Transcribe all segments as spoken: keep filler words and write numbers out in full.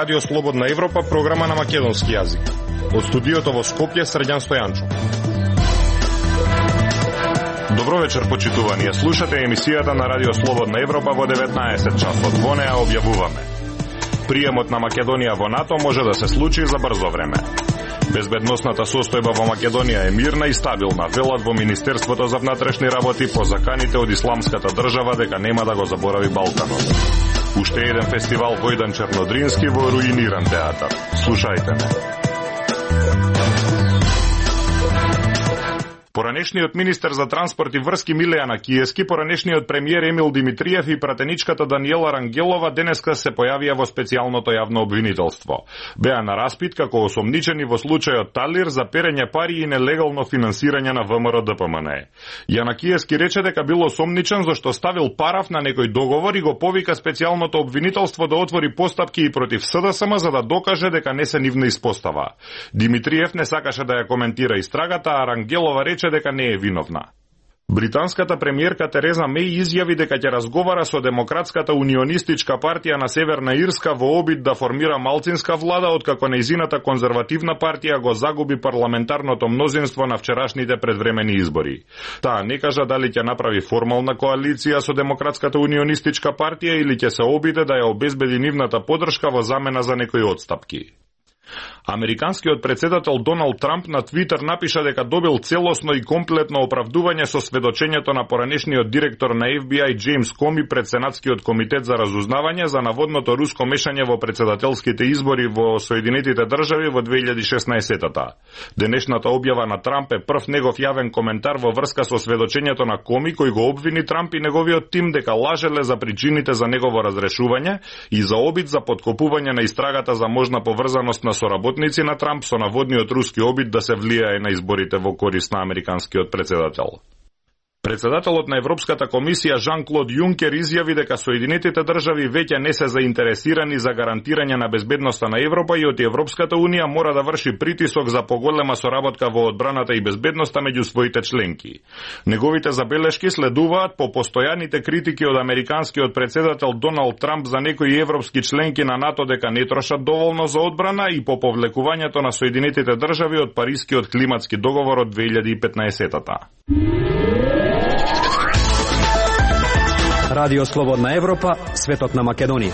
Радио Слободна Европа, програма на македонски јазик. Од студиото во Скопје, Срđan Стојанчо. Добро вечер, почитувани. Слушате емисијата на Радио Слободна Европа во деветнаесет часот. Во неа објавуваме: приемот на Македонија во НАТО може да се случи за брзо време. Безбедносната состојба во Македонија е мирна и стабилна, велат во Министерството за внатрешни работи по заканите од исламската држава дека нема да го заборави Балканот. Уште еден фестивал Војдан Чернодрински во руиниран театар. Слушајте ме. Поранешниот министер за транспорт и врски Милејана Киески, поранешниот премиер Емил Димитриев и пратеничката Даниела Рангелова денеска се појавија во специјалното јавно обвинителство. Беа на распит како осомничени во случајот Талир за перење пари и нелегално финансирање на ВМРО Д П М Н Е. Јана Киески рече дека бил осомничен зашто ставил параф на некој договор и го повика специјалното обвинителство да отвори постапки и против С Д С М за да докаже дека не се нивна испостава. Димитриев не сакаше да ја коментира истрагата, а Рангелова рече дека не е виновна. Британската премиерка Тереза Меј изјави дека ќе разговара со Демократската унионистичка партија на Северна Ирска во обид да формира малцинска влада, откако нејзината конзервативна партија го загуби парламентарното мнозинство на вчерашните предвремени избори. Таа не кажа дали ќе направи формална коалиција со Демократската унионистичка партија или ќе се обиде да ја обезбеди нивната поддршка во замена за некои отстапки. Американскиот председател Доналд Трамп на Твитер напиша дека добил целосно и комплетно оправдување со сведочењето на поранешниот директор на Ф Б И Джеймс Коми пред Сенатскиот комитет за разузнавање за наводното руско мешање во председателските избори во Соединетите држави во две илјади и шеснаесетта. Денешната објава на Трамп е прв негов јавен коментар во врска со сведочењето на Коми, кој го обвини Трамп и неговиот тим дека лажеле за причините за негово разрешување и за обид за поткопување на истрагата за можна поврзаност на соработници на Трамп со наводниот руски обид да се влијае на изборите во корист на американскиот председател. Председателот на Европската комисија Жан-Клод Јункер изјави дека Соединетите држави веќе не се заинтересирани за гарантирање на безбедноста на Европа и од Европската унија мора да врши притисок за поголема соработка во одбраната и безбедноста меѓу своите членки. Неговите забелешки следуваат по постојаните критики од американскиот председател Доналд Трамп за некои европски членки на НАТО дека не трошат доволно за одбрана и по повлекувањето на Соединетите држави од Парискиот климатски договор од две илјади и петнаесетта. Радио Слободна Европа, светот на Македонија.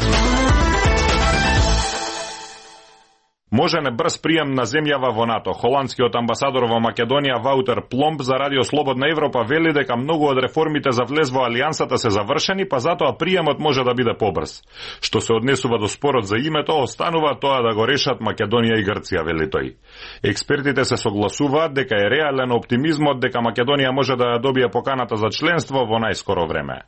Можене брз прием на земјава во НАТО. Холандскиот амбасадор во Македонија Ваутер Пломб за Радио Слободна Европа вели дека многу од реформите за влез во алијансата се завршени, па затоа приемот може да биде побрз. Што се однесува до спорот за името, останува тоа да го решат Македонија и Грција, вели тој. Експертите се согласуваат дека е реален оптимизмот дека Македонија може да ја добие поканата за членство во најскоро време.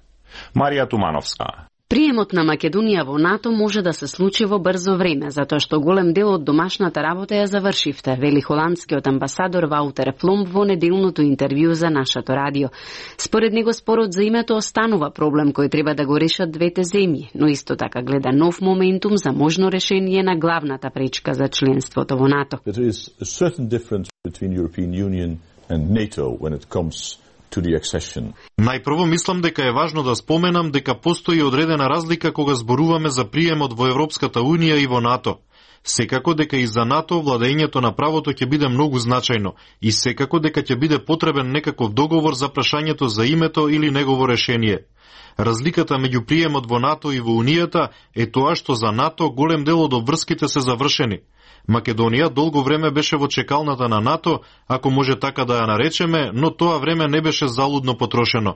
Марија Тумановска. Приемот на Македонија во НАТО може да се случи во брзо време, затоа што голем дел од домашната работа ја завршивте, вели холандскиот амбасадор Ваутер Пломб во неделното интервју за нашето радио. Според него спорот за името останува проблем кој треба да го решат двете земји, но исто така гледа нов моментум за можно решение на главната пречка за членството во НАТО. There is a certain difference between European Union and NATO when it comes to the accession. Најпрво мислам дека е важно да споменам дека постои одредена разлика кога зборуваме за приемот во Европската Унија и во НАТО. Секако дека и за НАТО владењето на правото ќе биде многу значајно и секако дека ќе биде потребен некаков договор за прашањето за името или негово решение. Разликата меѓу приемот во НАТО и во Унијата е тоа што за НАТО голем дел од обврските се завршени. Македонија долго време беше во чекалната на НАТО, ако може така да ја наречеме, но тоа време не беше залудно потрошено.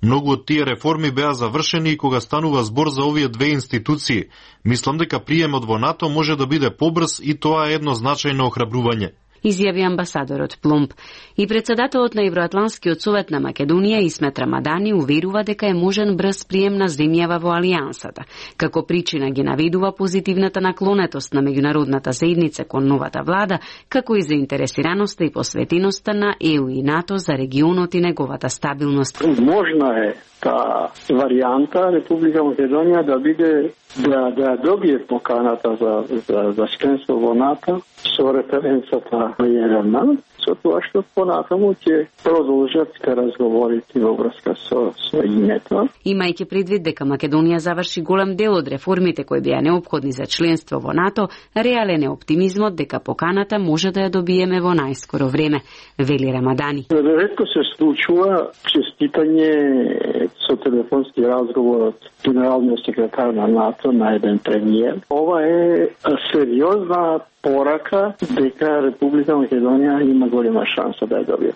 Многу од тие реформи беа завршени и кога станува збор за овие две институции, мислам дека приемот во НАТО може да биде побрз и тоа е едно значајно охрабрување. Изјави амбасадорот Пломб. И председателот на Евроатланскиот совет на Македонија Исмет Рамадани уверува дека е можен брз прием на земјава во алијансата. Како причина ги наведува позитивната наклонетост на меѓународната заедница кон новата влада, како и заинтересираноста и посветеноста на Е У и НАТО за регионот и неговата стабилност. Можна е та варијанта Република Македонија да биде да да добие поканата за за за членство во НАТО со референцата на Јерема, со тоа што понатаму ќе продолжат разговорите во врска со, со името. Имајќи предвид дека Македонија заврши голем дел од реформите кои беа неопходни за членство во НАТО, реален е оптимизмот дека поканата може да ја добиеме во најскоро време, вели Рамадани. Ретко се случува честитање со телефонски разговор од генералниот секретар на НАТО на еден премиер. Ова е сериозна порака дека Република Македонија има голема шанса да ја добие.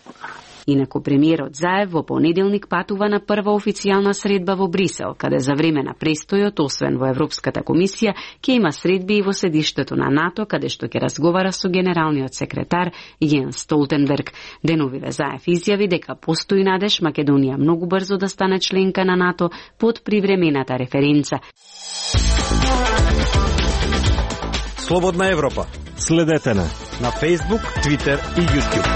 Инаку премиерот Заев во понеделник патува на прва официјална средба во Брисел, каде за време на престојот, освен во Европската комисија, ќе има средби и во седиштето на НАТО, каде што ќе разговара со генералниот секретар Јенс Столтенберг. Деновиве Заев изјави дека постои надеж Македонија многу брзо да стане членка на НАТО под привремената референца. Слободна Европа. Следете на на Facebook, Twitter и YouTube.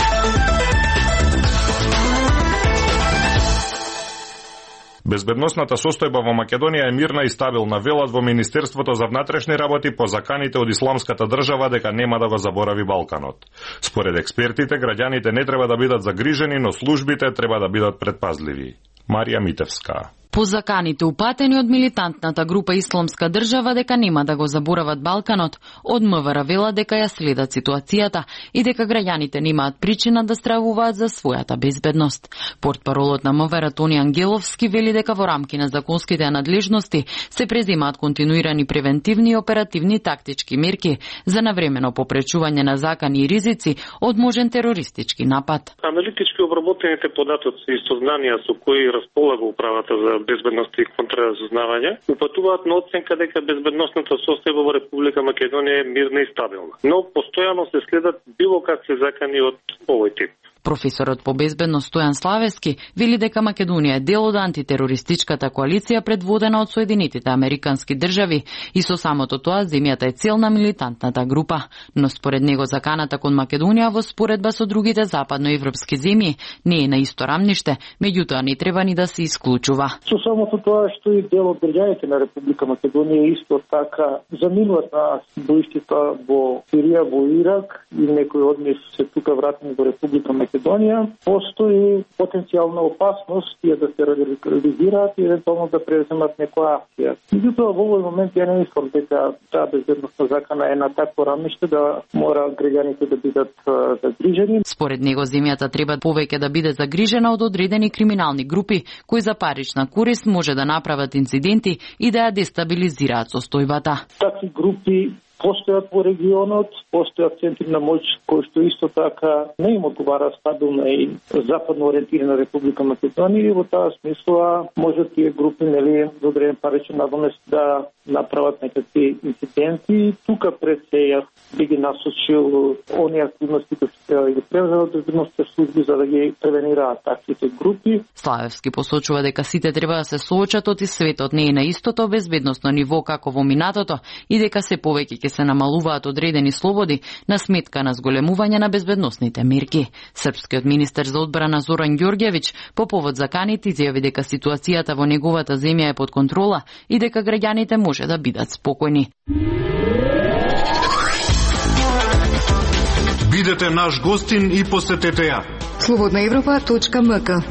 Безбедносната состојба во Македонија е мирна и стабилна, велат во Министерството за внатрешни работи по заканите од Исламската држава дека нема да го заборави Балканот. Според експертите, граѓаните не треба да бидат загрижени, но службите треба да бидат предпазливи. Марија Митевска. По заканите упатени од милитантната група Исламска држава дека нема да го заборават Балканот, од МВР вела дека ја следат ситуацијата и дека граѓаните немаат причина да стравуваат за својата безбедност. Портпаролот на МВР Тони Ангеловски вели дека во рамки на законските надлежности се преземаат континуирани превентивни и оперативни тактички мерки за навремено попречување на закани и ризици од можен терористички напад. Аналитички обработените податоци и сознанија со кои располага управата за безбедност и контраразузнавање упатуваат на оценка дека безбедносната состојба во Република Македонија е мирна и стабилна. Но постојано се следат било какви закани од овој тип. Професорот по безбедност Стојан Славевски вели дека Македонија е дел од антитерористичката коалиција предводена од Соединетите Американски држави и со самото тоа земјата е цел на милитантната група. Но според него заканата кон Македонија во споредба со другите западноевропски земји не е на исто рамниште, меѓутоа не треба ни да се исклучува. Со самото тоа што и дел од граѓаните на Република Македонија исто така заминуваат на боиштата во Сирија, во Ирак и некои од нив се тука вратени во Република Македонија. Македонија, постои потенцијална опасност тие да се радикализираат и евентуално да преземат некоја акција. Меѓутоа, во овој момент ја не мислам дека таа безбедносна закана е на такво рамниште да мора граѓаните да бидат загрижени. Според него земјата треба повеќе да биде загрижена од одредени криминални групи кои за парична корист може да направат инциденти и да ја дестабилизираат состојбата. Такви групи постојат во регионот, постојат центри на моќ кои што исто така не им одговара стабилна и западно ориентирана Република Македонија и во таа смисла може тие групи нели за одреден паричен надомест да направат некакви инциденти. Тука пред се јас би ги насочил оние активности кои што треба да ги превземат безбедносните служби за да ги превенираат таквите групи. Славевски посочува дека сите треба да се соочат и светот не е на истото безбедносно ниво како во минатото и дека се повеќе ќе се намалуваат одредени слободи на сметка на зголемување на безбедносните мерки. Српскиот министер за одбрана Зоран Ѓорѓевиќ по повод заканите изјави дека ситуацијата во неговата земја е под контрола и дека граѓаните може да бидат спокојни. Бидете наш гостин и посетете ја. слободна европа точка ем ка.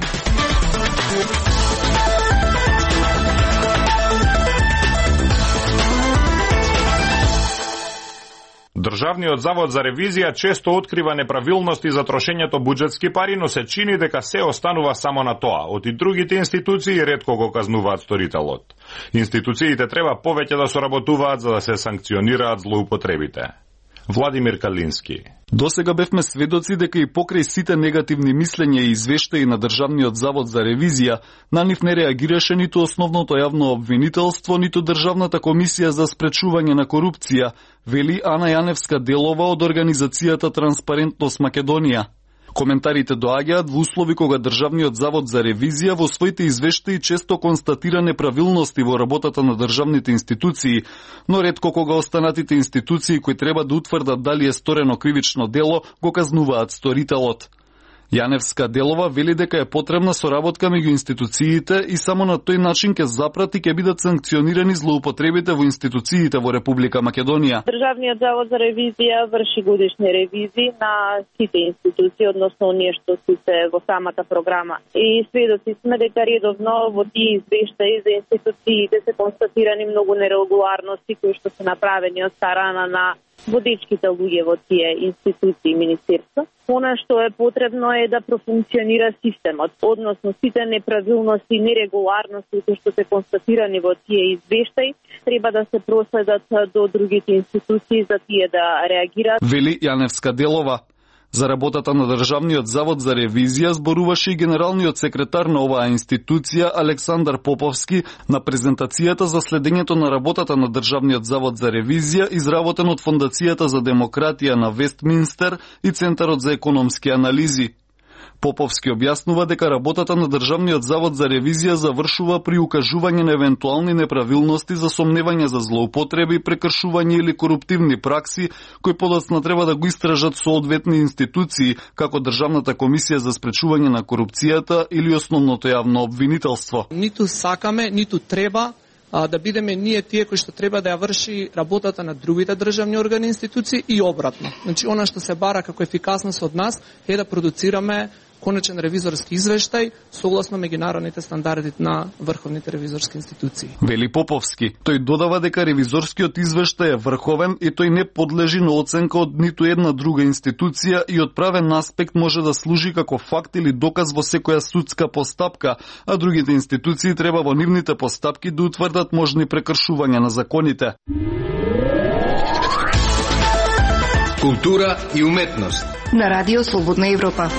Државниот завод за ревизија често открива неправилности за трошењето буџетски пари, но се чини дека се останува само на тоа. Од и другите институции ретко го казнуваат сторителот. Институциите треба повеќе да соработуваат за да се санкционираат злоупотребите. Владимир Калински. Досега бевме сведоци дека и покрај сите негативни мислења и извештаи на Државниот завод за ревизија, на нив не реагираше ниту основното јавно обвинителство, ниту Државната комисија за спречување на корупција, вели Ана Јаневска Делова од организацијата Транспарентност Македонија. Коментарите доаѓаат во услови кога Државниот завод за ревизија во своите извештаи често констатира неправилности во работата на државните институции, но ретко кога останатите институции кои треба да утврдат дали е сторено кривично дело, го казнуваат сторителот. Јаневска Делова вели дека е потребна соработка меѓу институциите и само на тој начин ќе запрати ќе бидат санкционирани злоупотребите во институциите во Република Македонија. Државниот завод за ревизија врши годишни ревизии на сите институции, односно оние што се во самата програма. И сведоци сме дека редовно во тие извештаи за институциите се констатирани многу нерегуларности кои што се направени од страна на водечките луѓе во тие институции и министерства. Она што е потребно е да профункционира системот, односно сите неправилности и нерегуларности кои што се констатирани во тие извештаи треба да се проследат до другите институции за тие да реагираат. Вели Јаневска Делова. За работата на Државниот завод за ревизија зборуваше и генералниот секретар на оваа институција Александар Поповски на презентацијата за следењето на работата на Државниот завод за ревизија изработен од Фондацијата за демократија на Вестминстер и Центарот за економски анализи. Поповски објаснува дека работата на Државниот завод за ревизија завршува при укажување на евентуални неправилности за сомневање за злоупотреби, прекршување или коруптивни пракси, кои подоцна треба да го истражат соодветни институции, како Државната комисија за спречување на корупцијата или Основното јавно обвинителство. Ниту сакаме, ниту треба а, да бидеме ние тие кои што треба да ја врши работата на другите државни органи и институции и обратно. Значи, она што се бара како ефикасност од нас е да продуцираме конечен ревизорски извештај согласно меѓународните стандарди на врховните ревизорски институции. Вели Поповски. Тој додава дека ревизорскиот извештај е врховен и тој не подлежи на оценка од ниту една друга институција и од правен аспект може да служи како факт или доказ во секоја судска постапка, а другите институции треба во нивните постапки да утврдат можни прекршувања на законите. Култура и уметност на Радио Слободна Европа.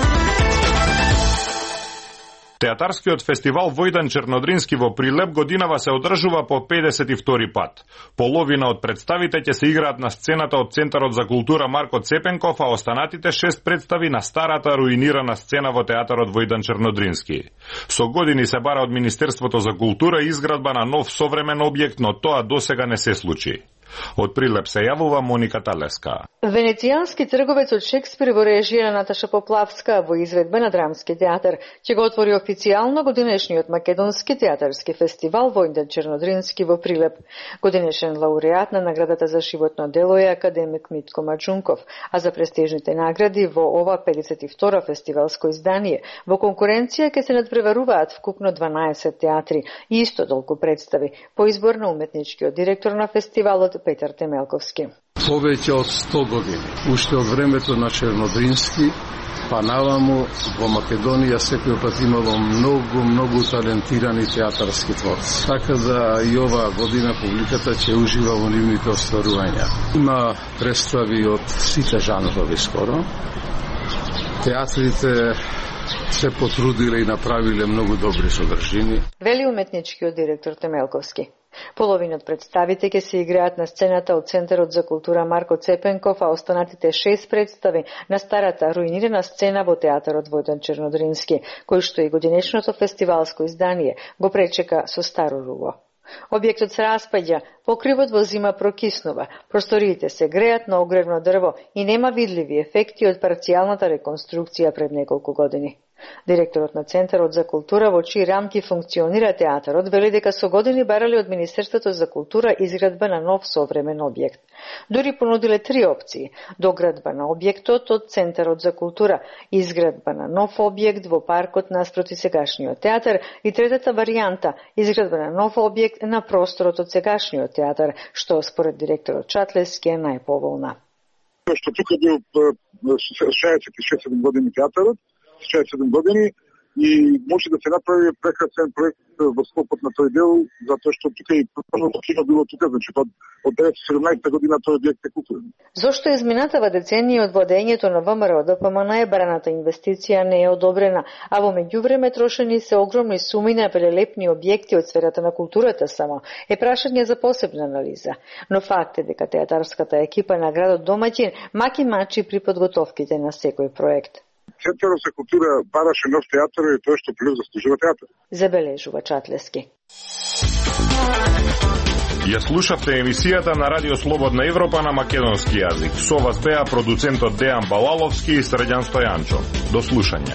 Театарскиот фестивал Војдан Чернодрински во Прилеп годинава се одржува по педесет и втори пат. Половина од представите ќе се играат на сцената од Центарот за култура Марко Цепенков, а останатите шест представи на старата руинирана сцена во театарот Војдан Чернодрински. Со години се бара од Министерството за култура изградба на нов современ објект, но тоа досега не се случи. Од Прилеп се јавува Моника Талеска. Венецијански трговец од Шекспир во режија на Наташа Поплавска во изведба на Драмски театар ќе го отвори официјално годинешниот македонски театарски фестивал Војдан Чернодрински во Прилеп. Годинешен лауреат на наградата за животно дело е академик Митко Маџунков, а за престижните награди во ова педесет и втора фестивалско издание во конкуренција ќе се надпреваруваат вкупно дванаесет театри и исто толку представи по избор на уметничкиот директор на фестивалот Петар Темелковски. Повеќе од сто години, уште од времето на Чернодрински, па наваму во Македонија секој пат имало многу, многу талентирани театарски творци. Така да и оваа година публиката ќе ужива во нивните остварувања. Има представи од сите жанрови скоро. Театрите се потрудиле и направиле многу добри содржини. Вели уметничкиот директор Темелковски. Половина од представите ќе се играат на сцената од Центарот за култура Марко Цепенков, а останатите шест представи на старата руинирана сцена во театарот Војдан Чернодрински, кој што и годинешното фестивалско издание го пречека со старо руво. Објектот се распаѓа, покривот во зима прокиснува, просториите се греат на огревно дрво и нема видливи ефекти од парцијалната реконструкција пред неколку години. Директорот на Центарот за култура во чии рамки функционира театарот вели дека со години барале од Министерството за култура изградба на нов современ објект. Дури понудиле три опции: доградба на објектот од Центарот за култура, изградба на нов објект во паркот наспроти сегашниот театар и третата варијанта изградба на нов објект на просторот од сегашниот театар, што според директорот Чатлески е најповолна. Што тука бил шеесет и шест години театарот, шеесет и седум години и може да се направи прекрасен проект во скопот на тој дел, затоа што тука и првото кино било тука, значи од, од деветстотини и седумнаесета година тој објект е културен. Зошто изминатава деценија од владењето на ВМРО Д П М Н е бараната инвестиција не е одобрена, а во меѓувреме трошени се огромни суми на велелепни објекти од сферата на културата само, е прашање за посебна анализа. Но факт е дека театарската екипа на градот домаќин маки мачи при подготовките на секој проект. Центарот за култура бараше нов театар и тоа што Прилеп заслужува театар. Забележува Чатлески. Ја слушавте емисијата на Радио Слободна Европа на македонски јазик. Со вас беа продуцентот Дејан Балаловски и Срđan Стојанчов. До слушање.